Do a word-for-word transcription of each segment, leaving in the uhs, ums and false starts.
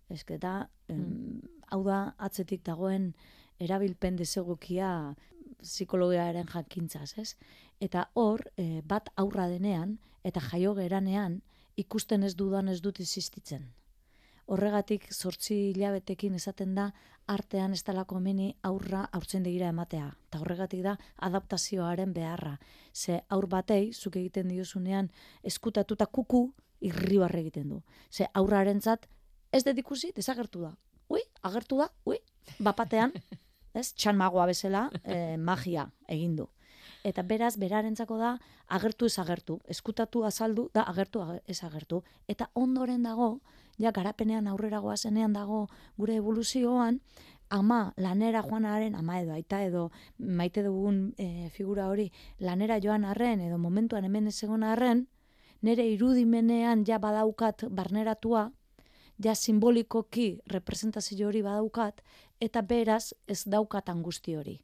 Eske da, em, hau da atzetik dagoen erabilpen desegokia psikologiaren jakintzaz, ez? Eta hor, e, bat aurra denean, eta jaio geranean, ikusten ez dudan ez dut existitzen. Horregatik, zortzi hilabetekin esaten da, artean ez talako meni aurra haurtzaindegira ematea. Eta horregatik da, adaptazioaren beharra. Ze aur batei, zuk egiten diozunean, eskutatuta kuku, irribarre egiten du. Ze aurrarentzat, ez dut ikusi, desagertu da. Ui, agertu da, ui, bapatean, ez, txan magoa bezala, eh, magia egin du. Eta beraz, berarentzako da, agertu ez agertu. Eskutatu azaldu, da agertu ez agertu. Eta ondoren dago, ja garapenean aurrera goazenean dago gure evoluzioan, ama lanera joanaren, ama edo aita edo maite dugun e, figura hori, lanera joan arren edo momentuan hemen ez egon arren, nire irudimenean ja badaukat barneratua, ja simbolikoki representazio hori badaukat, eta beraz ez daukat angusti hori.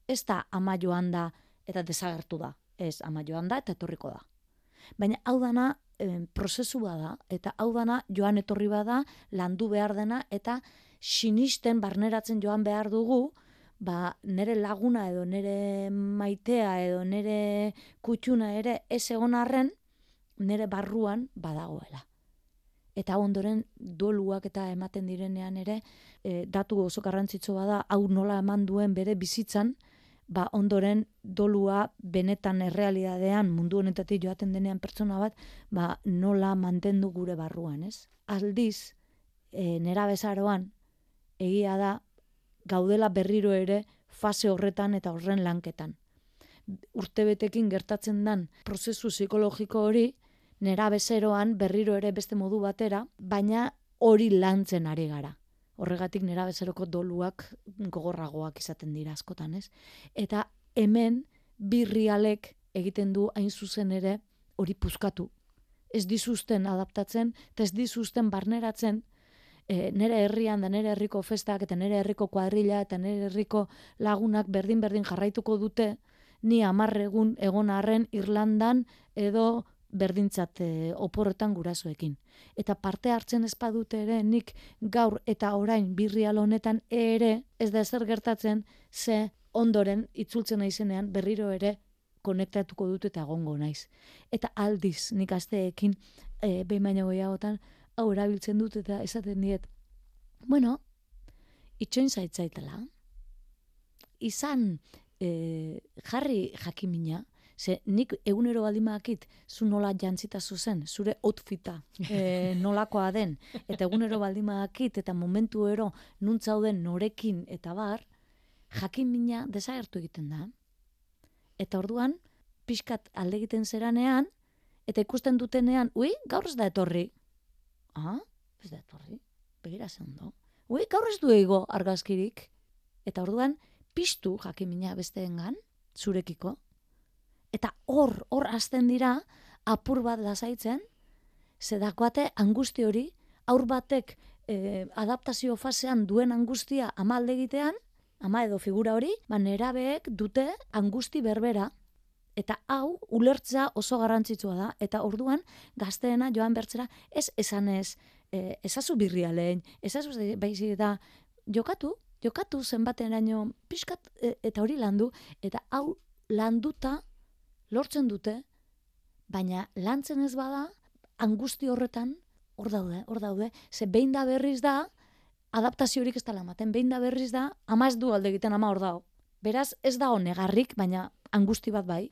Ez da ama joan da eta desagertu da. Ez, ama joan da eta etorriko da. Baina hau dana e, prozesu bada, eta hau dana joan etorri bada, landu behar dena, eta sinisten barneratzen joan behar dugu, ba, nire laguna edo nire maitea edo nire kutxuna ere ez egon arren, nire barruan badagoela. Eta ondoren doluak eta ematen direnean ere, e, datu oso garrantzitsu bada, hau nola eman duen bere bizitzan, ba ondoren dolua benetan errealidadean mundu honetatik joaten denean pertsona bat, ba nola mantendu gure barruan, ez? Aldiz, e, nerabezaroan, egia da, gaudela berriro ere fase horretan eta horren lanketan. Urtebetekin gertatzen dan prozesu psikologiko hori, nerabezeroan berriro ere beste modu batera, baina hori lantzen ari gara. Horregatik nerabezeroko doluak gogorragoak izaten dira askotan, ez? Eta hemen birrialek egiten du hain zuzen ere hori puzkatu. Ez dizuzten adaptatzen, eta ez dizuzten barneratzen, e, nire herrian da nire herriko festak, eta nire herriko kuadrilla, eta nire herriko lagunak berdin-berdin jarraituko dute, ni amarregun egon arren Irlandan edo berdintzat e, oporretan gurasoekin. Eta parte hartzen ez badute ere, nik gaur eta orain birrial honetan ere, ez da ezer gertatzen, ze ondoren itzultzen naizenean berriro ere konektatuko dut eta egongo naiz. Eta aldiz, nik asteekin e, behin baino gehiagotan, hau erabiltzen dut eta esaten diet, bueno, itxoin zaitzaitela, izan e, jarri jakimina, ze nik egunero baldimakit zu nola jantzita zuzen, zure outfita e, nolakoa den, eta egunero baldimakit eta momentu ero nuntzauden norekin eta bar, jakimina desagertu egiten da. Eta orduan, pixkat alde egiten zeranean, eta ikusten dutenean, ui, gaur ez da etorri. Ah, ez da etorri, begira ze ondo. Ui, gaur ez du ego argazkirik. Eta orduan, piztu jakimina besteengan, zurekiko. Eta hor, hor hasten dira, apur bat lasaitzen, zedakoate angusti hori, aur batek eh, adaptazio fasean duen angustia ama alde egitean, ama edo figura hori, ba nerabeek dute angusti berbera, eta hau ulertzea oso garrantzitsua da, eta orduan gazteena joan bertzera, ez esanez, eh, ezazu birrialein, ezazu baizik da, jokatu, jokatu zenbateraino pixkat e, eta hori landu, eta hau landuta lortzen dute, baina lantzen ez bada, angusti horretan, hor daude, hor daude, ze behin da berriz da, adaptaziorik ez dela ematen, behin da berriz da, ama ez du alde egiten ama hor dago. Beraz, ez dago negarrik, baina angusti bat bai.